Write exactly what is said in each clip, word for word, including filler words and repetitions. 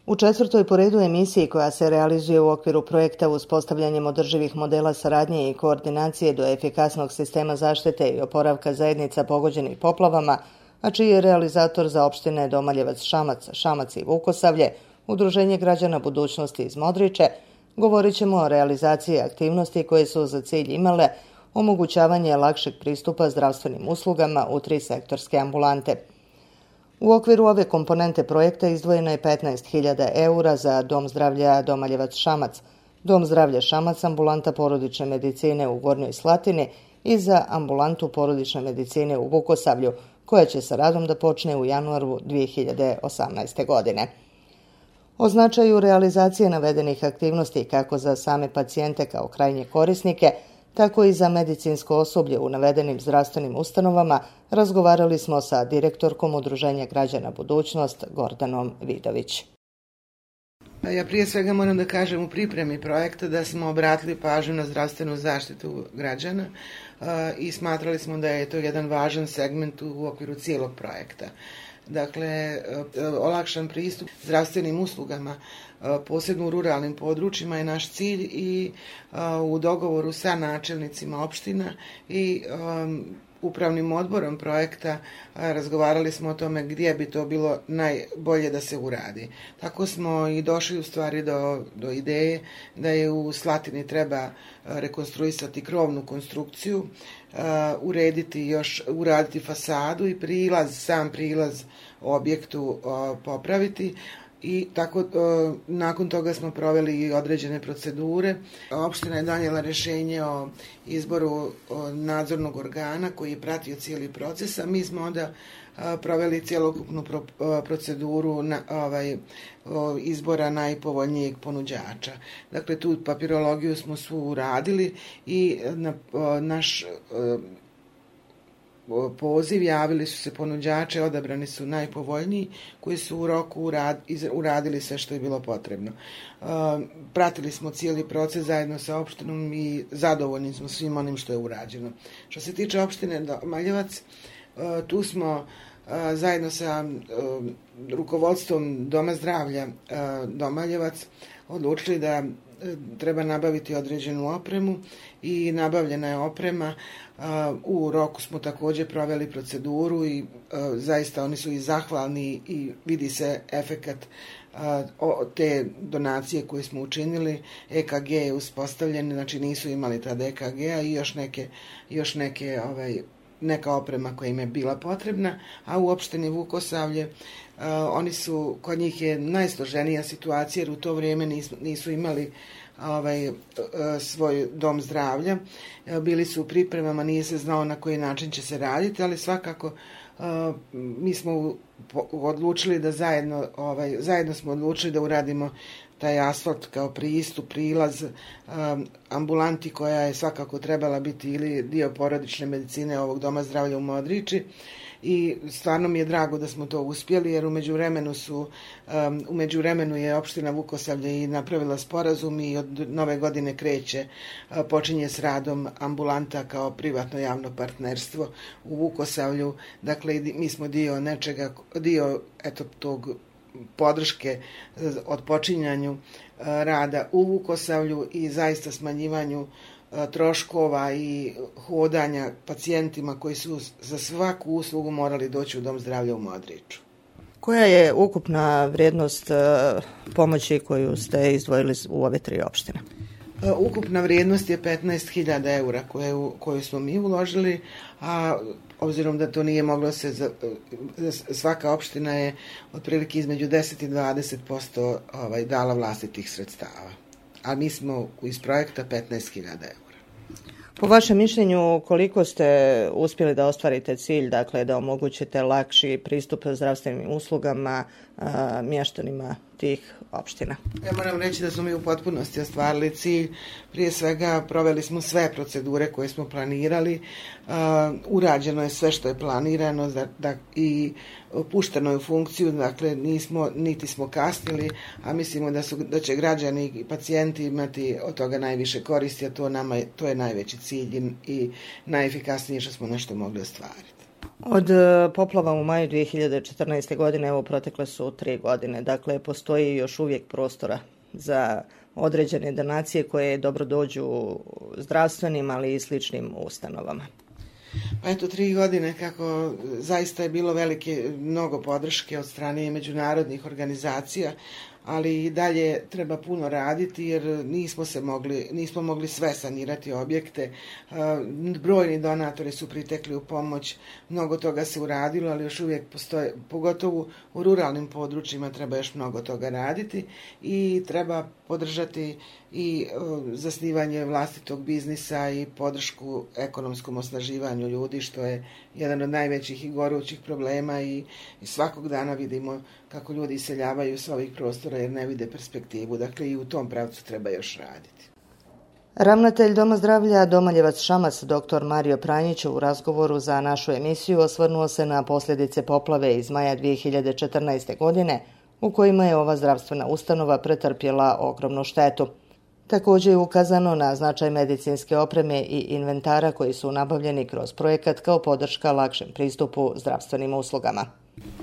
U četvrtoj po redu emisiji koja se realizuje u okviru projekta uspostavljanjem održivih modela saradnje i koordinacije do efikasnog sistema zaštite i oporavka zajednica pogođenih poplavama, a čiji je realizator za opštine Domaljevac, Šamac, Šamac i Vukosavlje, Udruženje građana budućnosti iz Modriče, govorit ćemo o realizaciji aktivnosti koje su za cilj imale omogućavanje lakšeg pristupa zdravstvenim uslugama u tri sektorske ambulante. U okviru ove komponente projekta izdvojeno je petnaest hiljada eura za Dom zdravlja Domaljevac Šamac, Dom zdravlja Šamac, ambulanta porodične medicine u Gornjoj Slatini i za ambulantu porodične medicine u Vukosavlju, koja će sa radom da počne u januaru dvije hiljade osamnaeste. godine. O značaju realizacije navedenih aktivnosti kako za same pacijente kao krajnje korisnike, tako i za medicinsko osoblje u navedenim zdravstvenim ustanovama razgovarali smo sa direktorkom Udruženja građana budućnost Gordanom Vidović. Ja prije svega moram da kažem u pripremi projekta da smo obratili pažnju na zdravstvenu zaštitu građana i smatrali smo da je to jedan važan segment u okviru cijelog projekta. Dakle, olakšan pristup zdravstvenim uslugama, posebno u ruralnim područjima je naš cilj i u dogovoru sa načelnicima opština i upravnim odborom projekta razgovarali smo o tome gdje bi to bilo najbolje da se uradi. Tako smo i došli u stvari do, do ideje da je u Slatini treba rekonstruisati krovnu konstrukciju, uh, urediti još, uraditi fasadu i prilaz, sam prilaz objektu uh, popraviti. I tako uh, nakon toga smo proveli i određene procedure. Opština je donijela rješenje o izboru o nadzornog organa koji je pratio cijeli proces, a mi smo onda uh, proveli cjelokupnu pro, uh, proceduru na, ovaj, o, izbora najpovoljnijeg ponuđača. Dakle, tu papirologiju smo svu uradili i na, o, naš o, poziv javili su se ponuđače, odabrani su najpovoljniji koji su u roku urad, iz, uradili sve što je bilo potrebno. Uh, pratili smo cijeli proces zajedno sa opštinom i zadovoljni smo svim onim što je urađeno. Što se tiče opštine Domaljevac, uh, tu smo uh, zajedno sa uh, rukovodstvom Doma zdravlja uh, Domaljevac odlučili da treba nabaviti određenu opremu i nabavljena je oprema. U roku smo također proveli proceduru i zaista oni su i zahvalni i vidi se efekat te donacije koje smo učinili. E K G je uspostavljen, znači nisu imali tada E K G-a i još neke, još neke ovaj, neka oprema koja im je bila potrebna, a u opštini Vukosavlje uh, oni su, kod njih je najsloženija situacija jer u to vrijeme nisu, nisu imali ovaj, uh, svoj dom zdravlja. Uh, bili su u pripremama, nije se znao na koji način će se raditi, ali svakako uh, mi smo u, po, odlučili da zajedno, ovaj, zajedno smo odlučili da uradimo taj asfalt kao pristup, prilaz um, ambulanti koja je svakako trebala biti ili dio porodične medicine ovog Doma zdravlja u Modriči i stvarno mi je drago da smo to uspjeli jer u međuvremenu su um, u međuvremenu je opština Vukosavlje i napravila sporazum i od nove godine kreće uh, počinje s radom ambulanta kao privatno javno partnerstvo u Vukosavlju. Dakle, mi smo dio nečega, dio eto tog podrške od počinjanju rada u Vukosavlju i zaista smanjivanju troškova i hodanja pacijentima koji su za svaku uslugu morali doći u Dom zdravlja u Modriču. Koja je ukupna vrijednost pomoći koju ste izdvojili u ove tri opštine? Ukupna vrijednost je petnaest hiljada eura koju, koju smo mi uložili, a obzirom da to nije moglo se, za, svaka opština je otprilike između deset i dvadeset posto ovaj, dala vlastitih sredstava. A mi smo iz projekta petnaest hiljada eura. Po vašem mišljenju, koliko ste uspjeli da ostvarite cilj, dakle da omogućite lakši pristup zdravstvenim uslugama a, mještanima tih opština? Ja moram reći da smo mi u potpunosti ostvarili cilj. Prije svega proveli smo sve procedure koje smo planirali. Uh, urađeno je sve što je planirano da, da, i pušteno je u funkciju, dakle nismo, niti smo kasnili, a mislimo da, su, da će građani i pacijenti imati od toga najviše koristi, a to, nama, to je najveći cilj i, i najefikasnije što smo nešto mogli ostvariti. Od poplava u maju dvije hiljade četrnaeste. godine, evo protekle su tri godine, dakle postoji još uvijek prostora za određene donacije koje dobro dođu zdravstvenim, ali i sličnim ustanovama. Pa eto, tri godine kako zaista je bilo velike, mnogo podrške od strane međunarodnih organizacija, ali i dalje treba puno raditi jer nismo se mogli, nismo mogli sve sanirati objekte. Brojni donatori su pritekli u pomoć, mnogo toga se uradilo, ali još uvijek postoje, pogotovo u ruralnim područjima treba još mnogo toga raditi i treba podržati i zasnivanje vlastitog biznisa i podršku ekonomskom osnaživanju ljudi, što je jedan od najvećih i gorućih problema i, i svakog dana vidimo kako ljudi iseljavaju s ovih prostora jer ne vide perspektivu. Dakle, i u tom pravcu treba još raditi. Ravnatelj Doma zdravlja Domaljevac Šamac, doktor Mario Pranjić, u razgovoru za našu emisiju osvrnuo se na posljedice poplave iz maja dvije hiljade četrnaeste. godine, u kojima je ova zdravstvena ustanova pretrpjela ogromnu štetu. Također je ukazano na značaj medicinske opreme i inventara koji su nabavljeni kroz projekat kao podrška lakšem pristupu zdravstvenim uslugama.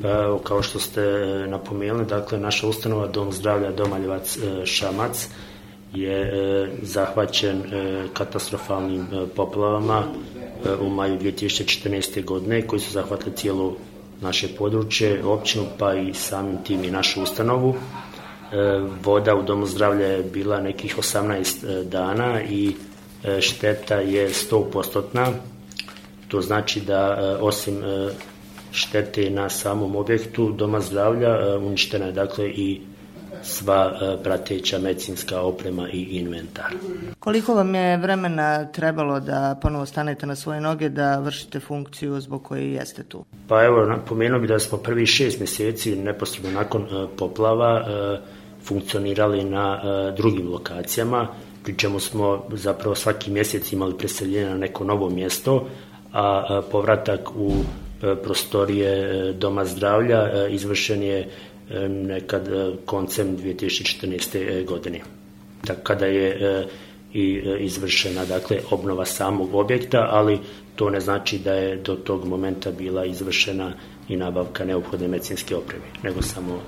Evo, kao što ste napomenuli, dakle, naša ustanova Dom zdravlja Domaljevac Šamac je zahvaćen katastrofalnim poplavama u maju dvije tisuće četrnaeste. godine koji su zahvatili cijelo naše područje, općinu, pa i samim tim i našu ustanovu. Voda u Domu zdravlja je bila nekih osamnaest dana i šteta je sto posto. To znači da osim štete na samom objektu Doma zdravlja uništena je dakle i sva prateća medicinska oprema i inventar. Koliko vam je vremena trebalo da ponovo stanete na svoje noge, da vršite funkciju zbog koje jeste tu? Pa evo, napomenuo bi da smo prvi šest mjeseci neposredno nakon poplava funkcionirali na drugim lokacijama, pri čemu smo zapravo svaki mjesec imali preseljenje na neko novo mjesto, a povratak u prostorije Doma zdravlja izvršen je nekad koncem dvije tisuće četrnaeste. godine. Tako kada je i izvršena dakle obnova samog objekta, ali to ne znači da je do tog momenta bila izvršena i nabavka neophodne medicinske opreme, nego samo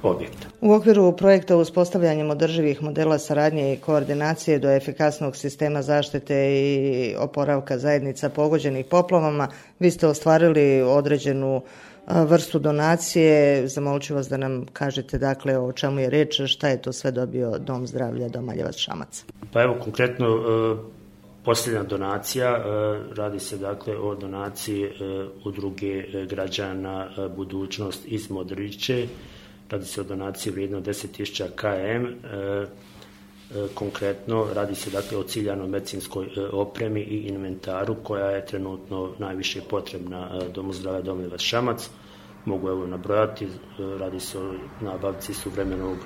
objekta. U okviru projekta uspostavljanjem održivih modela saradnje i koordinacije do efikasnog sistema zaštite i oporavka zajednica pogođenih poplavama, vi ste ostvarili određenu vrstu donacije. Zamolit ću vas da nam kažete dakle o čemu je riječ, šta je to sve dobio Dom zdravlja Domaljevac Šamac. Pa evo konkretno posljednja donacija, radi se dakle o donaciji udruge građana Budućnost iz Modriće. Radi se o donaciji vrijedno deset tisuća km. Konkretno radi se dakle o ciljanoj medicinskoj opremi i inventaru koja je trenutno najviše potrebna Domu zdravlja Domaljevac Šamac. Mogu evo nabrojati, radi se o nabavci suvremenog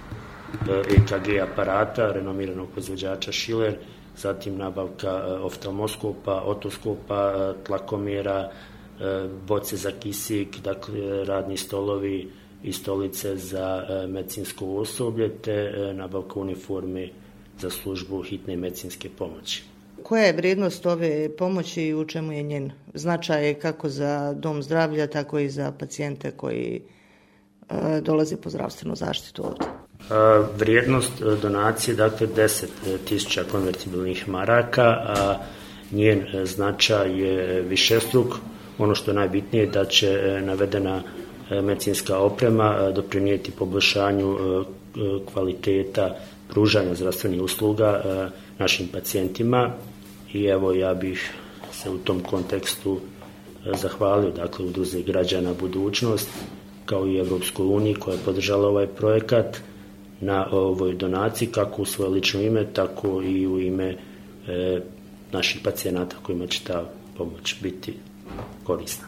E K G aparata renomiranog proizvođača Schiller, zatim nabavka oftalmoskopa, otoskopa, tlakomjera, boce za kisik, dakle radni stolovi i stolice za medicinsko osoblje te nabavka uniforme za službu hitne medicinske pomoći. Koja je vrijednost ove pomoći i u čemu je njen značaj kako za Dom zdravlja, tako i za pacijente koji e, dolaze po zdravstvenu zaštitu ovdje? A, vrijednost donacije dakle deset tisuća konvertibilnih maraka, a njen značaj je višestruk. Ono što je najbitnije da će navedena medicinska oprema doprinijeti poboljšanju kvaliteta pružanja zdravstvenih usluga našim pacijentima i evo ja bih se u tom kontekstu zahvalio dakle udruzi građana Budućnost kao i Europskoj uniji koja je podržala ovaj projekat na ovoj donaciji kako u svoje lično ime tako i u ime e, naših pacijenata kojima će ta pomoć biti korisna.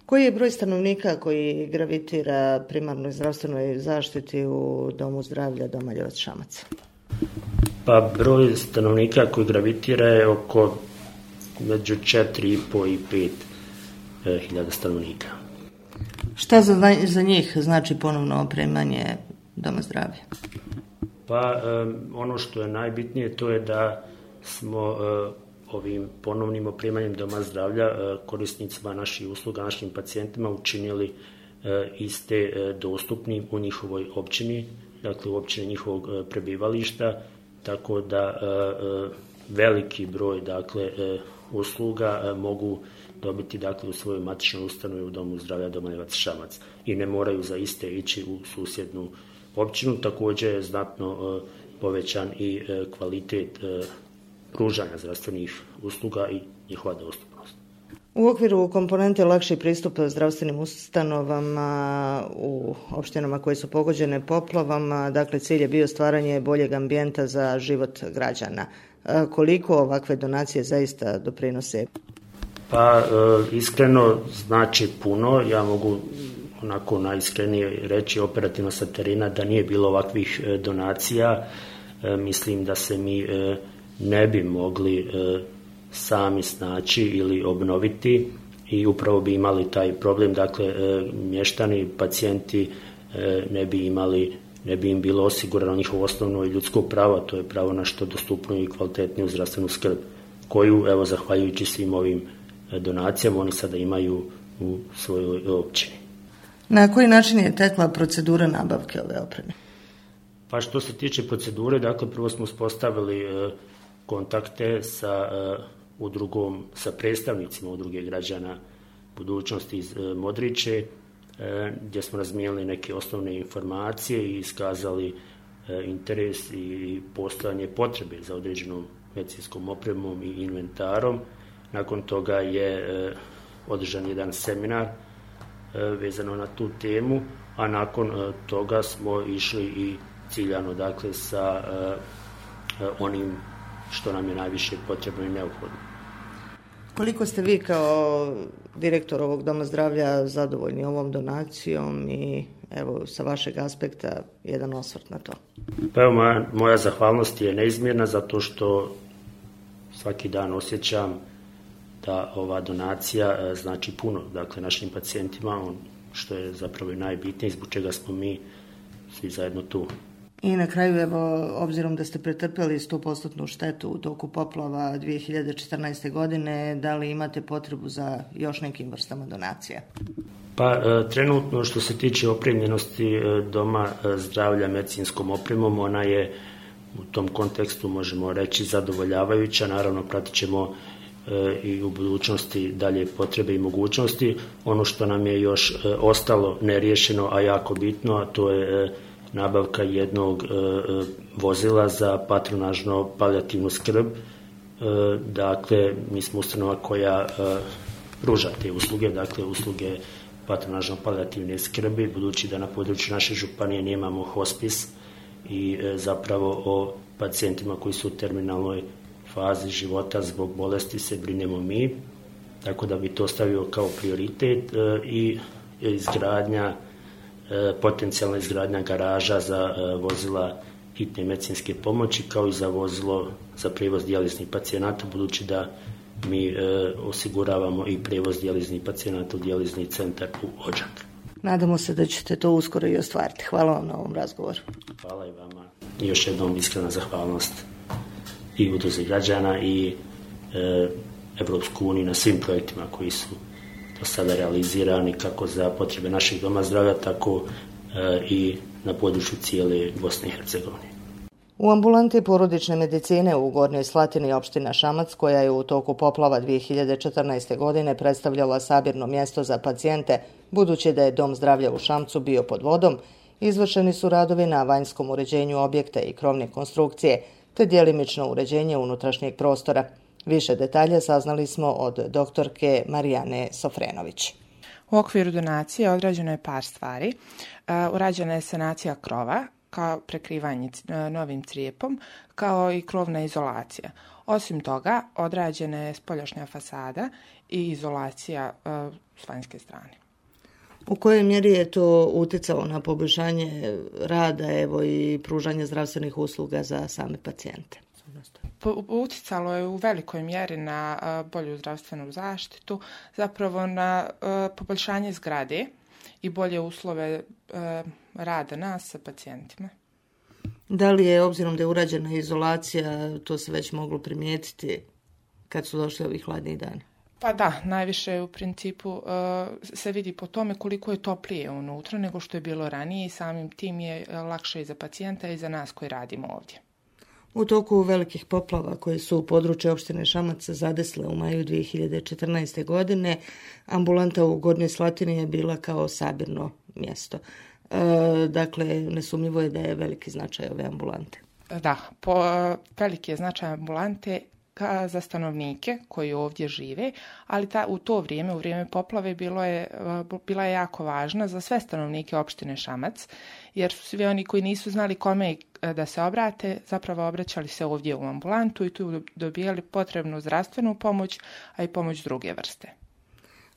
Koji je broj stanovnika koji gravitira primarnoj zdravstvenoj zaštiti u Domu zdravlja Domaljevac Šamac? Pa broj stanovnika koji gravitira je oko među četiri i po i pet hiljada stanovnika. Šta za, za njih znači ponovno opremanje Doma zdravlja? Pa um, ono što je najbitnije to je da smo uh, ovim ponovnim opremanjem doma zdravlja korisnicima naših usluga, našim pacijentima učinili iste dostupnim u njihovoj općini, dakle u općini njihovog prebivališta, tako da veliki broj dakle usluga mogu dobiti dakle u svojoj matičnoj ustanovi u domu zdravlja Domanovac Šamac i ne moraju za iste ići u susjednu općinu. Također je znatno povećan i kvalitet pružanja zdravstvenih usluga i njihova dostupnost. U okviru komponente lakši pristup zdravstvenim ustanovama u opštinama koje su pogođene poplavama, dakle cilj je bio stvaranje boljeg ambijenta za život građana. Koliko ovakve donacije zaista doprinose? Pa iskreno znači puno. Ja mogu onako najiskrenije reći operativno sa terena da nije bilo ovakvih donacija. Mislim da se mi ne bi mogli sami snaći ili obnoviti i upravo bi imali taj problem. Dakle, mještani, pacijenti ne bi imali, ne bi im bilo osigurano njihovo osnovno ljudsko pravo, to je pravo na što dostupniju i kvalitetniju zdravstvenu skrb, koju, evo, zahvaljujući svim ovim donacijama, oni sada imaju u svojoj općini. Na koji način je tekla procedura nabavke ove opreme? Pa što se tiče procedure, dakle, prvo smo uspostavili kontakte sa udrugom, sa predstavnicima udruge građana budućnosti iz Modriče, gdje smo razmijenili neke osnovne informacije i iskazali interes i postojanje potrebe za određenom medicinskom opremom i inventarom. Nakon toga je održan jedan seminar vezano na tu temu, a nakon toga smo išli i ciljano, dakle, sa onim što nam je najviše potrebno i neophodno. Koliko ste vi kao direktor ovog doma zdravlja zadovoljni ovom donacijom i evo sa vašeg aspekta jedan osvrt na to? Pa evo, moja, moja zahvalnost je neizmjerna zato što svaki dan osjećam da ova donacija znači puno, dakle, našim pacijentima, on, što je zapravo i najbitnije, zbog čega smo mi svi zajedno tu. I na kraju, evo, obzirom da ste pretrpjeli sto posto štetu u toku poplava dvije hiljade četrnaeste. godine, da li imate potrebu za još nekim vrstama donacija? Pa trenutno što se tiče opremljenosti doma zdravlja medicinskom opremom, ona je u tom kontekstu, možemo reći, zadovoljavajuća. Naravno, pratit ćemo i u budućnosti dalje potrebe i mogućnosti. Ono što nam je još ostalo neriješeno, a jako bitno, a to je nabavka jednog vozila za patronažno palijativnu skrb. Dakle, mi smo ustanova koja pruža te usluge, dakle usluge patronažno palijativne skrbi, budući da na području naše županije nemamo hospis i zapravo o pacijentima koji su u terminalnoj fazi života zbog bolesti se brinemo mi, tako da bi to stavio kao prioritet i izgradnja, potencijalna izgradnja garaža za vozila hitne medicinske pomoći, kao i za vozilo za prijevoz dijaliznih pacijenata, budući da mi osiguravamo i prijevoz dijaliznih pacijenata u dijalizni centar u Odžak. Nadamo se da ćete to uskoro i ostvariti. Hvala vam na ovom razgovoru. Hvala i vama. I još jednom iskrena zahvalnost i udruzi građana i e, Evropsku uniju na svim projektima koji su do sada realizirani kako za potrebe naših doma zdravlja, tako e, i na području cijele Bosne i Hercegovine. U ambulanti porodične medicine u Gornjoj Slatini opština Šamac, koja je u toku poplava dvije hiljade četrnaeste. godine predstavljala sabirno mjesto za pacijente, budući da je dom zdravlja u Šamcu bio pod vodom, izvršeni su radovi na vanjskom uređenju objekta i krovne konstrukcije, te djelimično uređenje unutrašnjeg prostora. Više detalja saznali smo od doktorke Marijane Sofrenović. U okviru donacije odrađeno je par stvari. Urađena je sanacija krova, kao prekrivanje novim crijepom, kao i krovna izolacija. Osim toga, odrađena je spoljašnja fasada i izolacija s vanjske strane. U kojoj mjeri je to utjecalo na poboljšanje rada, evo, i pružanje zdravstvenih usluga za same pacijente? Utjecalo je u velikoj mjeri na bolju zdravstvenu zaštitu, zapravo na poboljšanje zgrade i bolje uslove rada nas sa pacijentima. Da li je, obzirom da je urađena izolacija, to se već moglo primijetiti kad su došli ovi hladni dani? Pa da, najviše u principu uh, se vidi po tome koliko je toplije unutra nego što je bilo ranije i samim tim je lakše i za pacijenta i za nas koji radimo ovdje. U toku velikih poplava koje su u području opštine Šamac zadesile u maju dvije hiljade četrnaeste. godine, ambulanta u Gornjoj Slatini je bila kao sabirno mjesto. E, dakle, nesumnjivo je da je veliki značaj ove ambulante. Da, po, veliki je značaj ambulante ka, za stanovnike koji ovdje žive, ali ta, u to vrijeme, u vrijeme poplave, bilo je, bila je jako važna za sve stanovnike opštine Šamac, jer su svi oni koji nisu znali kome da se obrate, zapravo obraćali se ovdje u ambulantu i tu dobijali potrebnu zdravstvenu pomoć, a i pomoć druge vrste.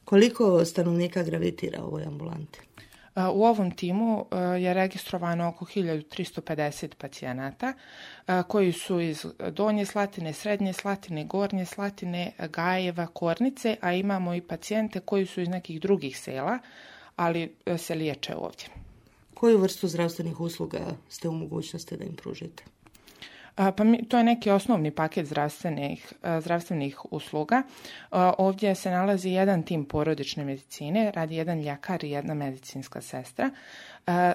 Koliko stanovnika gravitira u ovoj ambulanti? U ovom timu je registrovano oko hiljadu tristo pedeset pacijenata koji su iz Donje Slatine, Srednje Slatine, Gornje Slatine, Gajeva, Kornice, a imamo i pacijente koji su iz nekih drugih sela, ali se liječe ovdje. Koju vrstu zdravstvenih usluga ste u mogućnosti da im pružite? Pa mi, to je neki osnovni paket zdravstvenih, zdravstvenih usluga. Ovdje se nalazi jedan tim porodične medicine, radi jedan ljekar i jedna medicinska sestra.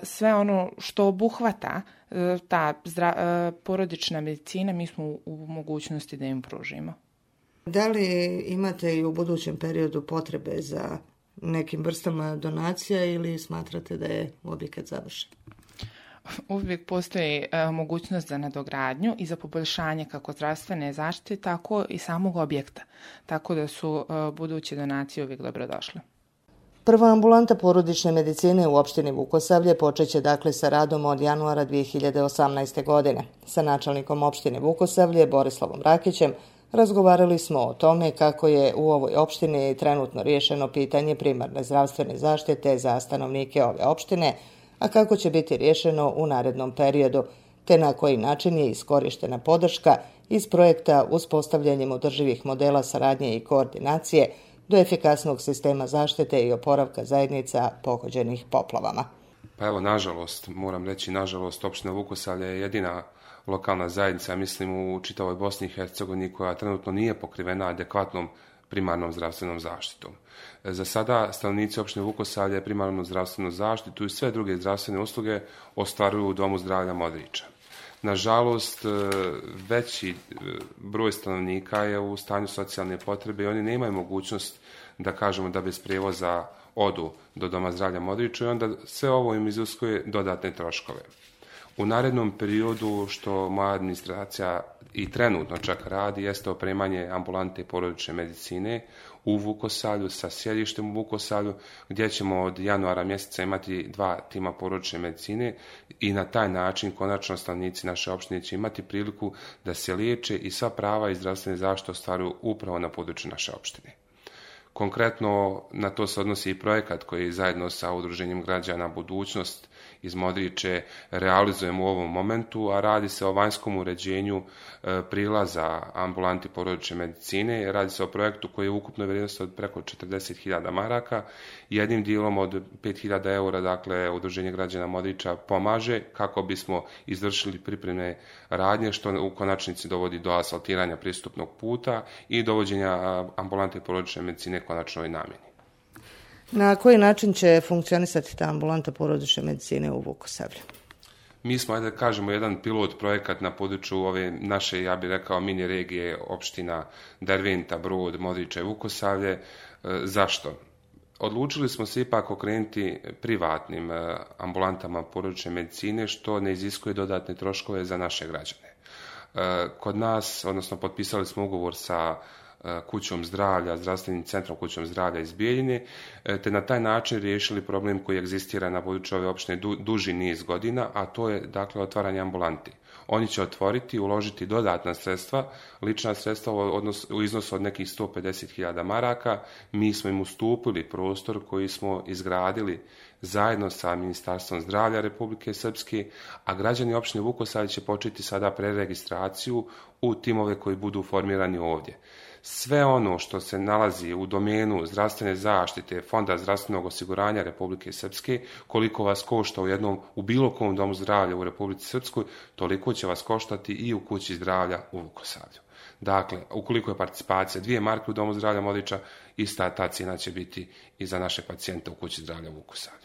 Sve ono što obuhvata ta zdra, porodična medicina, mi smo u mogućnosti da im pružimo. Da li imate i u budućem periodu potrebe za nekim vrstama donacija ili smatrate da je objekat završen? Uvijek postoji e, mogućnost za nadogradnju i za poboljšanje kako zdravstvene zaštite, tako i samog objekta. Tako da su e, buduće donacije uvijek dobrodošle. Prva ambulanta porodične medicine u opštini Vukosavlje počeće dakle sa radom od januara dvije hiljade osamnaeste. godine. Sa načelnikom opštine Vukosavlje, Borislavom Rakićem, razgovarali smo o tome kako je u ovoj opštini trenutno riješeno pitanje primarne zdravstvene zaštite za stanovnike ove opštine, a kako će biti riješeno u narednom periodu, te na koji način je iskorištena podrška iz projekta uspostavljanjem održivih modela saradnje i koordinacije do efikasnog sistema zaštite i oporavka zajednica pogođenih poplavama. Pa evo, nažalost, moram reći, nažalost, opština Vukosavlje je jedina lokalna zajednica, mislim, u čitavoj Bosni i Hercegovini koja trenutno nije pokrivena adekvatnom primarnom zdravstvenom zaštitom. Za sada stanovnici opštine Vukosavlje primarnu zdravstvenu zaštitu i sve druge zdravstvene usluge ostvaruju u Domu zdravlja Modriča. Nažalost, veći broj stanovnika je u stanju socijalne potrebe i oni nemaju mogućnost, da kažemo, da bez prijevoza odu do Doma zdravlja Modriča i onda sve ovo im iziskuje dodatne troškove. U narednom periodu, što moja administracija i trenutno čak radi, jeste opremanje ambulante porodične medicine u Vukosavlju sa sjedištem u Vukosavlju, gdje ćemo od januara mjeseca imati dva tima porodične medicine i na taj način konačno stanovnici naše opštine će imati priliku da se liječe i sva prava i zdravstvene zaštite ostvaruju upravo na području naše opštine. Konkretno na to se odnosi i projekat koji zajedno sa Udruženjem građana Budućnost iz Modriče realizujemo u ovom momentu, a radi se o vanjskom uređenju e, prilaza ambulanti porodične medicine. Radi se o projektu koji je ukupno vrijednost od preko četrdeset hiljada maraka. Jednim dijelom od pet hiljada eura, dakle, Udruženje građana Modriča pomaže kako bismo izvršili pripremne radnje, što u konačnici dovodi do asfaltiranja pristupnog puta i dovođenja ambulante porodične medicine konačnoj namjeni. Na koji način će funkcionisati ta ambulanta porodične medicine u Vukosavlju? Mi smo, ajde da kažemo, jedan pilot projekat na području ove naše, ja bih rekao, mini regije opština Derventa, Brod, Modriče i Vukosavlje. E, zašto? Odlučili smo se ipak okrenuti privatnim e, ambulantama porodične medicine, što ne iziskuje dodatne troškove za naše građane. E, kod nas, odnosno potpisali smo ugovor sa kućom zdravlja, zdravstvenim centrom kućom zdravlja iz Bijeljine, te na taj način riješili problem koji egzistira na području ove opštine du, duži niz godina, a to je, dakle, otvaranje ambulanti. Oni će otvoriti, uložiti dodatna sredstva, lična sredstva u, odnos, u iznosu od nekih sto pedeset hiljada maraka. Mi smo im ustupili prostor koji smo izgradili zajedno sa Ministarstvom zdravlja Republike Srpske, a građani opštine Vukosavlje će početi sada preregistraciju u timove koji budu formirani ovdje. Sve ono što se nalazi u domenu zdravstvene zaštite, Fonda zdravstvenog osiguranja Republike Srpske, koliko vas košta u jednom, u bilo kom domu zdravlja u Republici Srpskoj, toliko će vas koštati i u kući zdravlja u Vukosavlju. Dakle, ukoliko je participacija dvije marke u Domu zdravlja Modriča, ista ta cijena će biti i za naše pacijente u Kući zdravlja u Vukosavlju.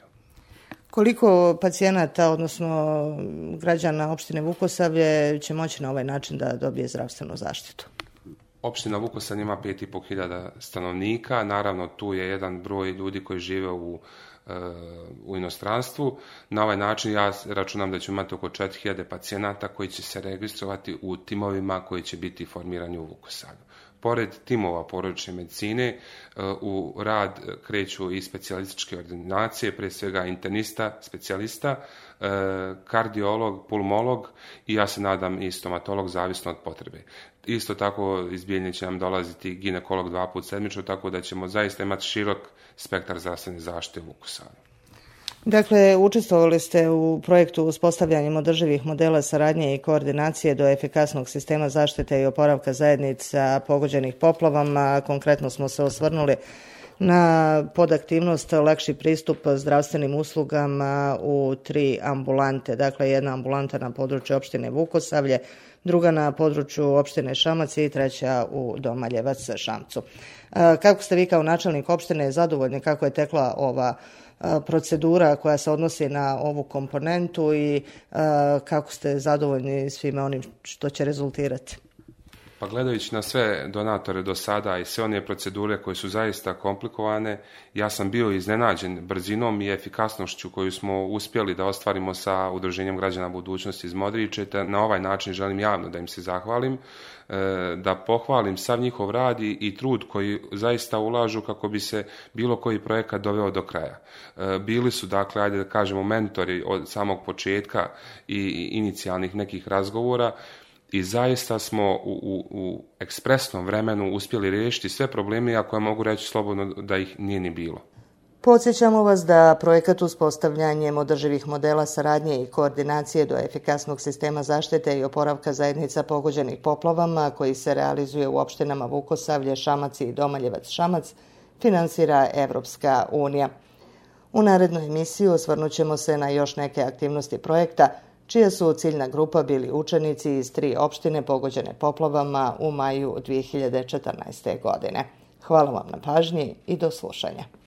Koliko pacijenata, odnosno građana opštine Vukosavlje, će moći na ovaj način da dobije zdravstvenu zaštitu? Opština Vukosavlje ima pet i pol hiljada stanovnika, naravno tu je jedan broj ljudi koji žive u, u inostranstvu. Na ovaj način ja računam da ćemo imati oko četiri hiljade pacijenata koji će se registrovati u timovima koji će biti formirani u Vukosavlju. Pored timova porodične medicine u rad kreću i specijalističke ordinacije, pre svega internista, specijalista, kardiolog, pulmolog i ja se nadam i stomatolog, zavisno od potrebe. Isto tako iz Bijeljine će nam dolaziti ginekolog dva put sedmično, tako da ćemo zaista imati širok spektar zdravstvene zaštite u Vukosavlju. Dakle, učestvovali ste u projektu uspostavljanjem održivih modela saradnje i koordinacije do efikasnog sistema zaštite i oporavka zajednica pogođenih poplavama. Konkretno smo se osvrnuli na podaktivnost lakši pristup zdravstvenim uslugama u tri ambulante. Dakle, jedna ambulanta na području opštine Vukosavlje, druga na području opštine Šamac i treća u Domaljevac Šamcu. Kako ste vi kao načelnik opštine zadovoljni kako je tekla ova procedura koja se odnosi na ovu komponentu i kako ste zadovoljni svime onim što će rezultirati? Pa gledajući na sve donatore do sada i sve one procedure koje su zaista komplikovane, ja sam bio iznenađen brzinom i efikasnošću koju smo uspjeli da ostvarimo sa Udruženjem građana budućnosti iz Modriče. Na ovaj način želim javno da im se zahvalim, da pohvalim sav njihov rad i trud koji zaista ulažu kako bi se bilo koji projekat doveo do kraja. Bili su, dakle, ajde da kažemo, mentori od samog početka i inicijalnih nekih razgovora i zaista smo u, u, u ekspresnom vremenu uspjeli riješiti sve probleme, iako ja mogu reći slobodno da ih nije ni bilo. Podsjećamo vas da projekat uspostavljanjem održivih modela saradnje i koordinacije do efikasnog sistema zaštite i oporavka zajednica pogođenih poplavama, koji se realizuje u opštinama Vukosavlje, Šamac i Domaljevac Šamac, finansira Evropska unija. U narednoj emisiji osvrnut ćemo se na još neke aktivnosti projekta, čija su ciljna grupa bili učenici iz tri opštine pogođene poplavama u maju dvije hiljade četrnaeste. godine. Hvala vam na pažnji i do slušanja.